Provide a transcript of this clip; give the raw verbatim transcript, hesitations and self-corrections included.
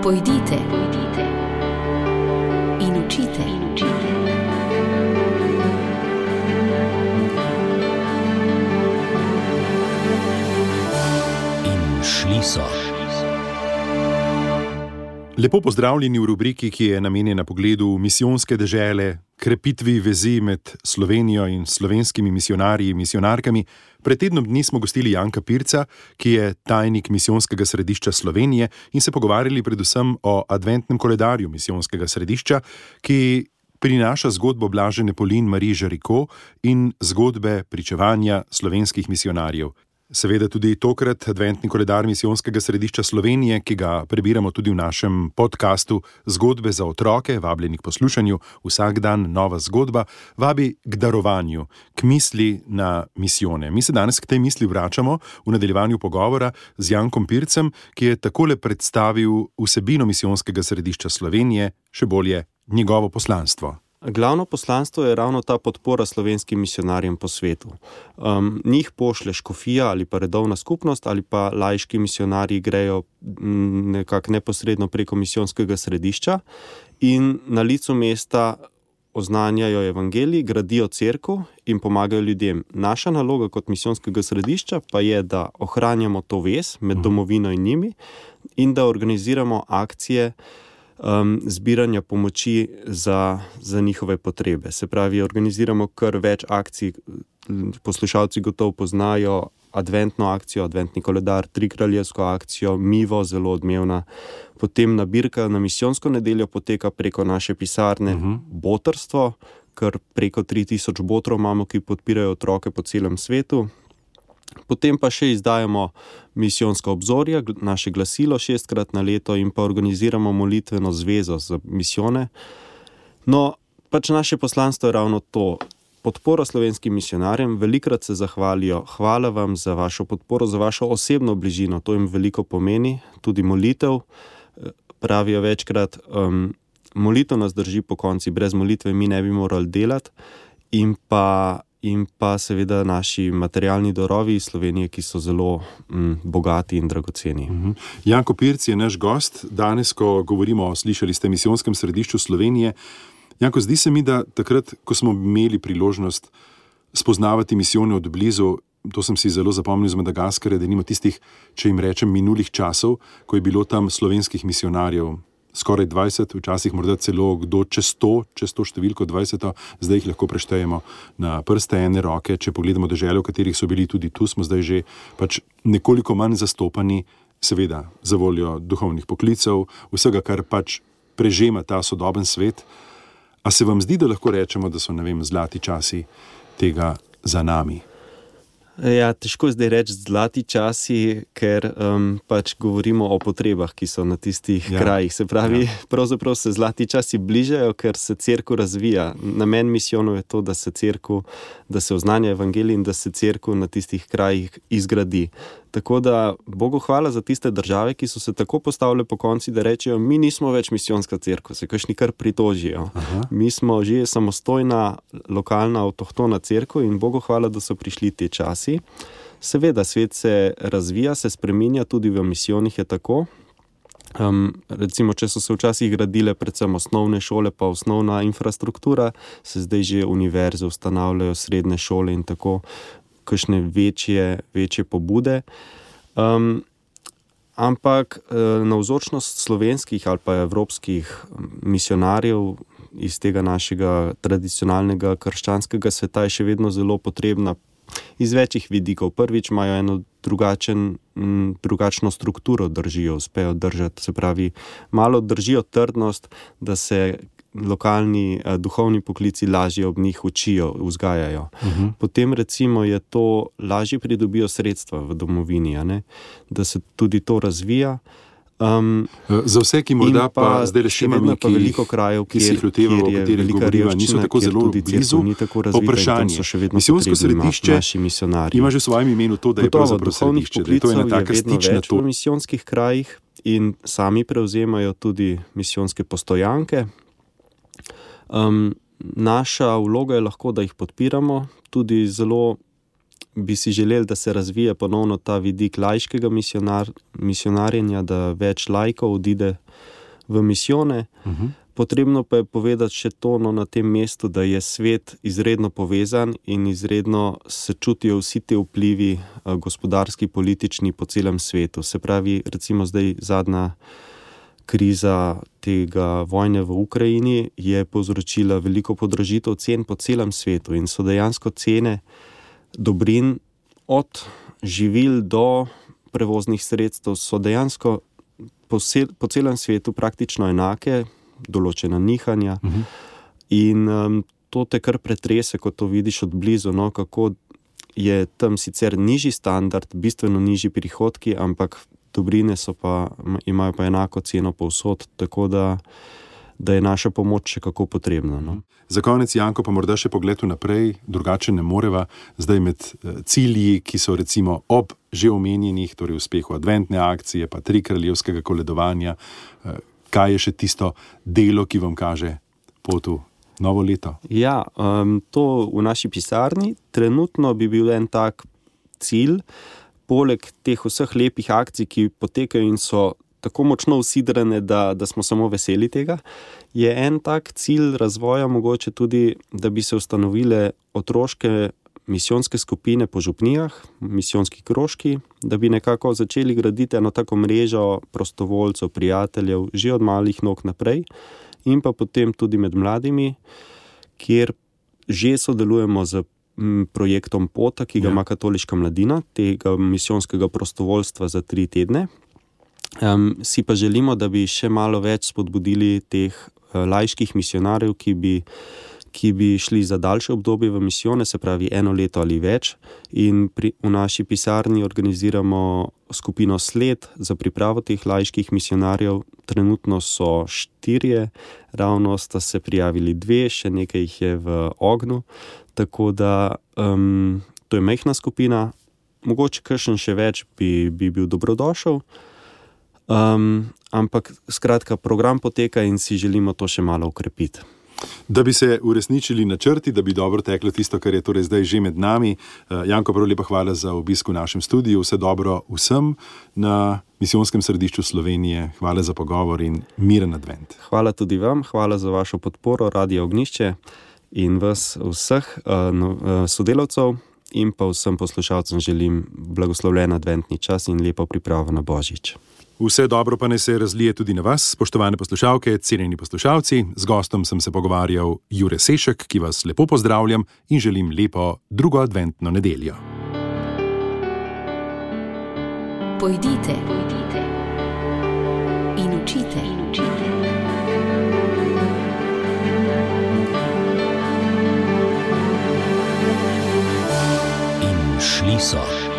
Pojdite, pojdite in učite, in učite. In šli so. Lepo pozdravljeni v rubriki, ki je namenjena pogledu misijonske dežele, krepitvi vezi med Slovenijo in slovenskimi misijonarji in misijonarkami. Pred tednom dni smo gostili Janka Pirca, ki je tajnik Misijonskega središča Slovenije, in se pogovarjali predvsem o adventnem koledarju Misijonskega središča, ki prinaša zgodbo Blažene Polin Marie Žariko in zgodbe pričevanja slovenskih misijonarjev. Seveda tudi tokrat adventni koledar Misijonskega središča Slovenije, ki ga prebiramo tudi v našem podkastu Zgodbe za otroke, vabljeni k poslušanju, vsak dan nova zgodba, vabi k darovanju, k misli na misijone. Mi se danes k tej misli vračamo v nadaljevanju pogovora z Jankom Pircem, ki je takole predstavil vsebino Misijonskega središča Slovenije, še bolje njegovo poslanstvo. Glavno poslanstvo je ravno ta podpora slovenskim misijonarjem po svetu. Um, njih pošle škofija ali pa redovna skupnost ali pa laiški misijonarji grejo nekako neposredno preko misijonskega središča in na licu mesta oznanjajo evangelij, gradijo cerkev in pomagajo ljudem. Naša naloga kot misijonskega središča pa je, da ohranjamo to vez med domovino in njimi in da organiziramo akcije Um, zbiranja pomoči za, za njihove potrebe. Se pravi, organiziramo kar več akcij. Poslušalci gotovo poznajo adventno akcijo, adventni koledar, trikraljevsko akcijo, Mivo, zelo odmevna. Potem nabirka na misijonsko nedeljo poteka preko naše pisarne uh-huh. Botrstvo, kar preko tri tisoč botrov imamo, ki podpirajo otroke po celem svetu. Potem pa še izdajamo misijonska obzorja, naše glasilo šestkrat na leto in pa organiziramo molitveno zvezo za misijone. No, pač naše poslanstvo je ravno to. Podpora slovenskim misijonarjem, velikrat se zahvalijo. Hvala vam za vašo podporo, za vašo osebno bližino, to jim veliko pomeni. Tudi molitev, pravijo večkrat, um, molitev nas drži po konci, brez molitve mi ne bi morali delati. In pa in pa seveda naši materialni darovi iz Slovenije, ki so zelo mm, bogati in dragoceni. Uh-huh. Janko Pirc je naš gost. Danes, ko govorimo, slišali ste, Misijonskem središču Slovenije. Janko, zdi se mi, da takrat, ko smo imeli priložnost spoznavati misijone od blizu, to sem si zelo zapomnil z Madagaskarja, da nimo tistih, če jim rečem, minulih časov, ko je bilo tam slovenskih misijonarjev skoraj dvajset, včasih morda celo kdo čez sto, čez to številko dvajset, zdaj jih lahko preštejemo na prste ene roke. Če pogledamo dežele, v katerih so bili tudi tu, smo zdaj že pač nekoliko manj zastopani, seveda za voljo duhovnih poklicev, vsega, kar pač prežema ta sodoben svet. A se vam zdi, da lahko rečemo, da so, ne vem, zlati časi tega za nami? Ja, težko zdaj reči zlati časi, ker um, pač govorimo o potrebah, ki so na tistih ja. krajih. Se pravi, ja. pravzaprav se zlati časi bližajo, ker se cerkev razvija. Namen misijonov je to, da se cerkev, da se oznanja evangelij in da se cerkev na tistih krajih izgradi. Tako da Bogu hvala za tiste države, ki so se tako postavile po konci, da rečejo, mi nismo več misijonska cerkev, se kakšni kar pritožijo. Aha. Mi smo že samostojna, lokalna, avtohtona cerkev in Bogu hvala, da so prišli te časi. Seveda, svet se razvija, se spreminja, tudi v misijonih je tako. Um, recimo, če so se včasih gradile predvsem osnovne šole, pa osnovna infrastruktura, se zdaj že univerze ustanavljajo, srednje šole in tako, kakšne večje, večje pobude. Um, ampak navzočnost slovenskih ali pa evropskih misijonarjev iz tega našega tradicionalnega krščanskega sveta je še vedno zelo potrebna iz večjih vidikov. Prvič imajo eno drugačen, m, drugačno strukturo držijo, uspejo držati, se pravi, malo držijo trdnost, da se lokalni eh, duhovni poklici lažje ob njih učijo, vzgajajo. Uh-huh. Potem recimo je to, lažje pridobijo sredstva v domovini, a ne? Da se tudi to razvija. Um, Za vse, ki morda pa, pa zdaj rešimo mi, krajev, ki si jih lotevamo, o katerih govoriva, niso tako zelo blizu, vprašanje. Misijonsko središče ima že v svojem imenu to, da je pravzaprav središče, da je to ena taka stična to. V misijonskih krajih in sami prevzemajo tudi misijonske postojanke. Um, naša vloga je lahko, da jih podpiramo, tudi zelo bi si želeli, da se razvije ponovno ta vidik laiškega misionar, misionarjenja, da več laikov odide v misijone. Uh-huh. Potrebno pa je povedati še to no, na tem mestu, da je svet izredno povezan in izredno se čutijo vsi te vplivi gospodarski, politični po celem svetu. Se pravi, recimo zdaj zadnja kriza tega vojne v Ukrajini je povzročila veliko podražitev cen po celem svetu in so dejansko cene dobrin od živil do prevoznih sredstev so dejansko po, sel, po celem svetu praktično enake, določena nihanja. Uh-huh. In um, to te kar pretrese, ko to vidiš od blizu, no, kako je tam sicer nižji standard, bistveno nižji prihodki, ampak dobrine so pa, imajo pa enako ceno povsod, tako da, da je naša pomoč še kako potrebna. No. Za konec, Janko, pa morda še pogled naprej, drugače ne moreva, zdaj med cilji, ki so recimo ob že omenjenih, torej uspehu adventne akcije, pa tri kraljevskega koledovanja, kaj je še tisto delo, ki vam kaže pot v novo leto? Ja, um, to v naši pisarni trenutno bi bil en tak cilj, poleg teh vseh lepih akcij, ki potekajo in so tako močno usidrane, da, da smo samo veseli tega, je en tak cilj razvoja mogoče tudi, da bi se ustanovile otroške misijonske skupine po župnijah, misijonski krožki, da bi nekako začeli graditi eno tako mrežo prostovoljcev, prijateljev, že od malih nog naprej in pa potem tudi med mladimi, kjer že sodelujemo z projektom Pota, ki ga ja. ima Katoliška mladina, tega misijonskega prostovoljstva za tri tedne. Um, si pa želimo, da bi še malo več spodbudili teh uh, laiških misionarjev, ki bi ki bi šli za daljše obdobje v misijone, se pravi eno leto ali več. In pri, v naši pisarni organiziramo skupino Sled za pripravo teh laiških misionarjev. Trenutno so štirje, ravno sta se prijavili dve, še nekaj jih je v ognju. Tako da um, to je majhna skupina, mogoče kakšen še več bi, bi bil dobrodošel. Um, ampak skratka, program poteka in si želimo to še malo ukrepiti. Da bi se uresničili načrti, da bi dobro teklo tisto, kar je torej zdaj že med nami. Janko, prav lepa hvala za obisk v našem studiu. Vse dobro vsem na Misijonskem središču Slovenije. Hvala za pogovor in miren advent. Hvala tudi vam, hvala za vašo podporo Radia Ognjišče in vas vseh sodelavcev in pa vsem poslušalcem želim blagoslovljen adventni čas in lepo pripravo na Božič. Vse dobro pa ne se razlije tudi na vas, spoštovane poslušalke, cenjeni poslušalci. Z gostom sem se pogovarjal Jure Sešek, ki vas lepo pozdravljam in želim lepo drugo adventno nedeljo. Pojdite, pojdite in učite, in učite. In šli so.